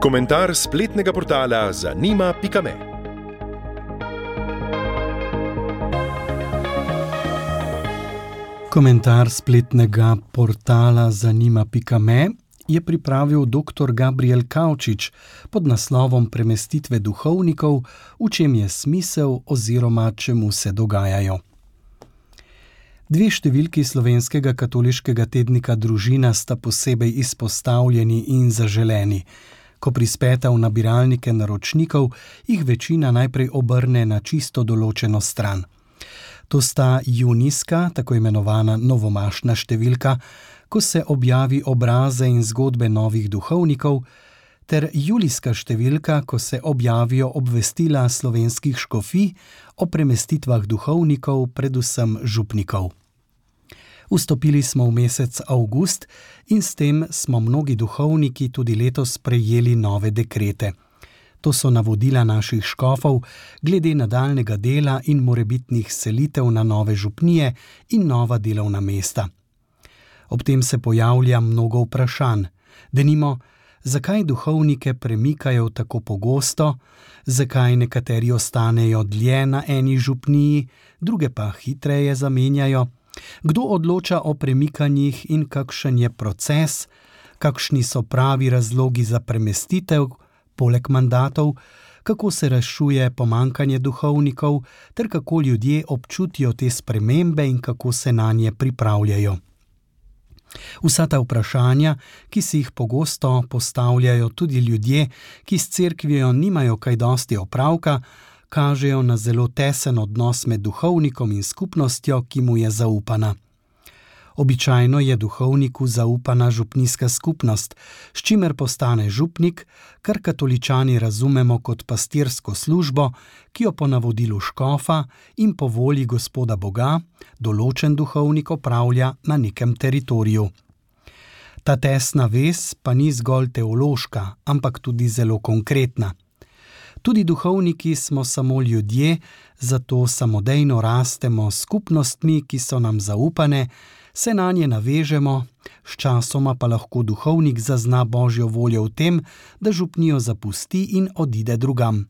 Komentar spletnega portala zanima.me. Komentar spletnega portala zanima.me je pripravil dr. Gabriel Kavčič pod naslovom Premestitve duhovnikov, v čem je smisel oziroma čemu se dogajajo. Dve številki slovenskega katoliškega tednika Družina sta posebej izpostavljeni in zaželeni. Ko prispeta v nabiralnike naročnikov, jih večina najprej obrne na čisto določeno stran. To sta junijska, tako imenovana novomašna številka, ko se objavi obraze in zgodbe novih duhovnikov, ter julijska številka, ko se objavijo obvestila slovenskih škofij o premestitvah duhovnikov, predvsem župnikov. Vstopili smo v mesec avgust in s tem smo mnogi duhovniki tudi letos prejeli nove dekrete. To so navodila naših škofov glede nadaljnjega dela in morebitnih selitev na nove župnije in nova delovna mesta. Ob tem se pojavlja mnogo vprašanj. Denimo, zakaj duhovnike premikajo tako pogosto, zakaj nekateri ostanejo dlje na eni župniji, druge pa hitreje zamenjajo, kdo odloča o premikanjih in kakšen je proces, kakšni so pravi razlogi za premestitev, poleg mandatov, kako se rešuje pomanjkanje duhovnikov, ter kako ljudje občutijo te spremembe in kako se nanje pripravljajo. Vsa ta vprašanja, ki si jih pogosto postavljajo tudi ljudje, ki s cerkvijo nimajo kaj dosti opravka, kažejo na zelo tesen odnos med duhovnikom in skupnostjo, ki mu je zaupana. Običajno je duhovniku zaupana župnijska skupnost, s čimer postane župnik, kar katoličani razumemo kot pastirsko službo, ki jo po navodilu škofa in po volji Gospoda Boga določen duhovnik opravlja na nekem teritoriju. Ta tesna vez pa ni zgolj teološka, ampak tudi zelo konkretna. Tudi duhovniki smo samo ljudje, zato samodejno rastemo s skupnostmi, ki so nam zaupane, se nanje navežemo, sčasoma pa lahko duhovnik zazna Božjo voljo v tem, da župnijo zapusti in odide drugam.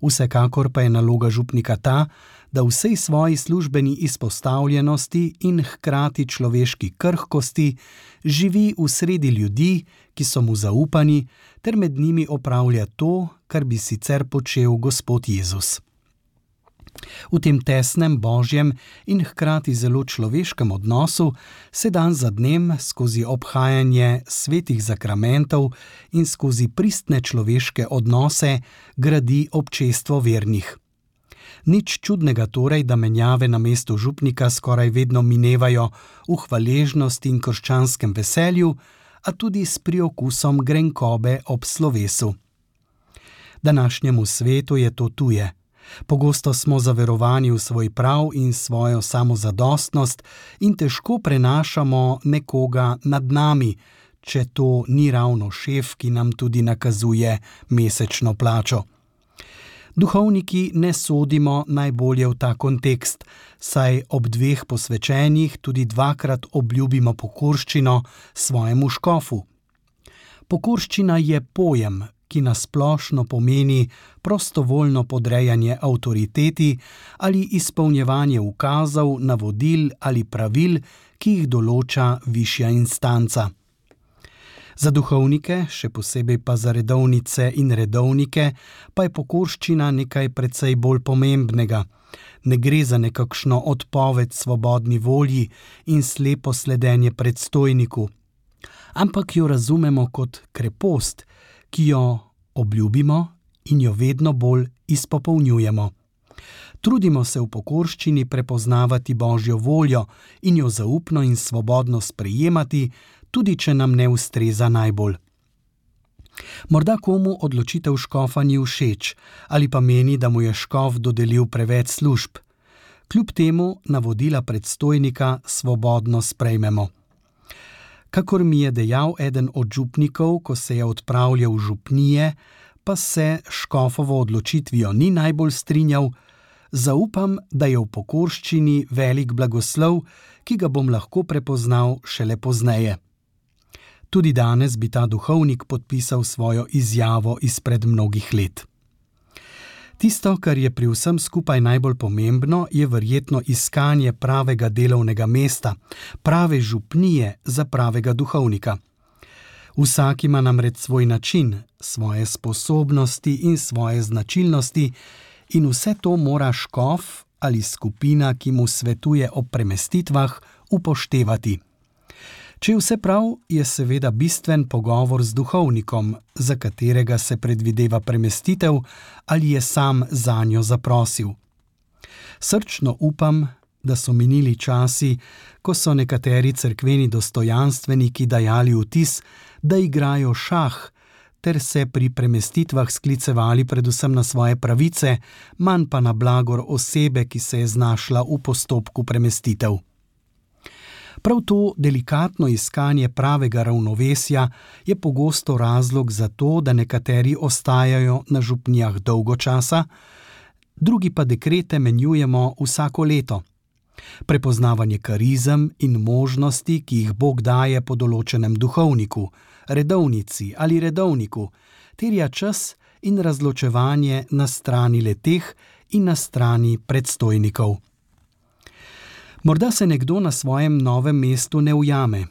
Vsekakor pa je naloga župnika ta, da v vsej svoji službeni izpostavljenosti in hkrati človeški krhkosti živi v sredi ljudi, ki so mu zaupani, ter med njimi opravlja to, kar bi sicer počel Gospod Jezus. V tem tesnem božjem in hkrati zelo človeškem odnosu se dan za dnem skozi obhajanje svetih zakramentov in skozi pristne človeške odnose gradi občestvo vernih. Nič čudnega torej, da menjave na mestu župnika skoraj vedno minevajo v hvaležnosti in krščanskem veselju, a tudi s priokusom grenkobe ob slovesu. Današnjemu svetu je to tuje. Pogosto smo zaverovani v svoj prav in svojo samozadostnost in težko prenašamo nekoga nad nami, če to ni ravno šef, ki nam tudi nakazuje mesečno plačo. Duhovniki ne sodimo najbolje v ta kontekst, saj ob dveh posvečenjih tudi dvakrat obljubimo pokorščino svojemu škofu. Pokorščina je pojem, ki nasplošno pomeni prostovoljno podrejanje avtoriteti ali izpolnjevanje ukazov, navodil ali pravil, ki jih določa višja instanca. Za duhovnike, še posebej pa za redovnice in redovnike, pa je pokorščina nekaj precej bolj pomembnega. Ne gre za nekakšno odpoved svobodni volji in slepo sledenje predstojniku, ampak jo razumemo kot krepost, ki jo obljubimo in jo vedno bolj izpopolnjujemo. Trudimo se v pokorščini prepoznavati Božjo voljo in jo zaupno in svobodno sprejemati, tudi če nam ne ustreza najbolj. Morda komu odločitev škofa ni všeč ali pa meni, da mu je škof dodelil preveč služb. Kljub temu navodila predstojnika svobodno sprejmemo. Kakor mi je dejal eden od župnikov, ko se je odpravljal v župnije, pa se škofovo odločitvijo ni najbolj strinjal, zaupam, da je v pokorščini velik blagoslov, ki ga bom lahko prepoznal šele pozneje. Tudi danes bi ta duhovnik podpisal svojo izjavo izpred mnogih let. Tisto, kar je pri vsem skupaj najbolj pomembno, je verjetno iskanje pravega delovnega mesta, prave župnije za pravega duhovnika. Vsak ima namreč svoj način, svoje sposobnosti in svoje značilnosti in vse to mora škof ali skupina, ki mu svetuje o premestitvah, upoštevati. Če je vse prav, je seveda bistven pogovor z duhovnikom, za katerega se predvideva premestitev ali je sam zanjo zaprosil. Srčno upam, da so minili časi, ko so nekateri cerkveni dostojanstveniki dajali vtis, da igrajo šah, ter se pri premestitvah sklicevali predvsem na svoje pravice, manj pa na blagor osebe, ki se je znašla v postopku premestitev. Prav to delikatno iskanje pravega ravnovesja je pogosto razlog za to, da nekateri ostajajo na župnijah dolgo časa, drugi pa dekrete menjujemo vsako leto. Prepoznavanje karizem in možnosti, ki jih Bog daje po določenem duhovniku, redovnici ali redovniku, terja čas in razločevanje na strani leteh in na strani predstojnikov. Morda se nekdo na svojem novem mestu ne ujame,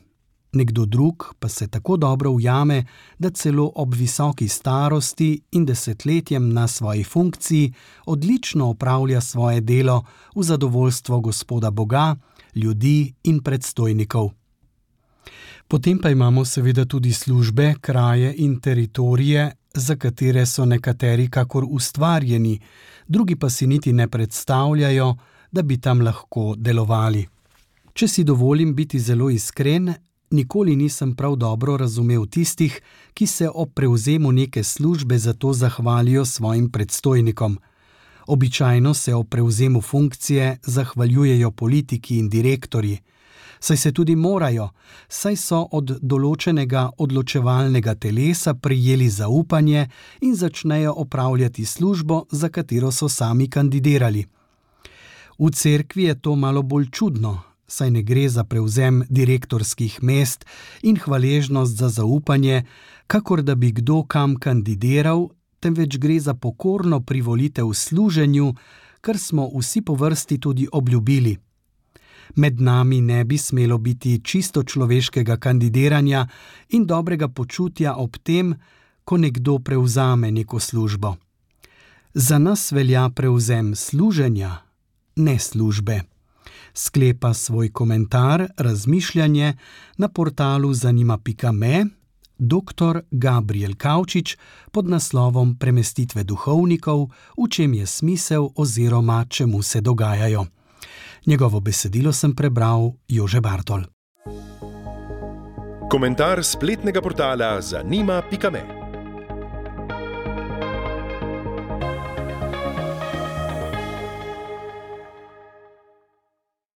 nekdo drug pa se tako dobro ujame, da celo ob visoki starosti in desetletjem na svoji funkciji odlično opravlja svoje delo v zadovoljstvo Gospoda Boga, ljudi in predstojnikov. Potem pa imamo seveda tudi službe, kraje in teritorije, za katere so nekateri kakor ustvarjeni, drugi pa si niti ne predstavljajo, da bi tam lahko delovali. Če si dovolim biti zelo iskren, nikoli nisem prav dobro razumel tistih, ki se ob prevzemu neke službe za to zahvalijo svojim predstojnikom. Običajno se ob prevzemu funkcije zahvaljujejo politiki in direktorji, saj se tudi morajo, saj so od določenega odločevalnega telesa prejeli zaupanje in začnejo opravljati službo, za katero so sami kandidirali. V cerkvi je to malo bolj čudno, saj ne gre za prevzem direktorskih mest in hvaležnost za zaupanje, kakor da bi kdo kam kandidiral, temveč gre za pokorno privolitev služenju, kar smo vsi po vrsti tudi obljubili. Med nami ne bi smelo biti čisto človeškega kandidiranja in dobrega počutja ob tem, ko nekdo prevzame neko službo. Za nas velja prevzem služenja, ne službe. Sklepa svoj komentar, razmišljanje na portalu zanima.me dr. Gabriel Kavčič pod naslovom Premestitve duhovnikov, v čem je smisel oziroma čemu se dogajajo. Njegovo besedilo sem prebral Jože Bartol. Komentar spletnega portala zanima.me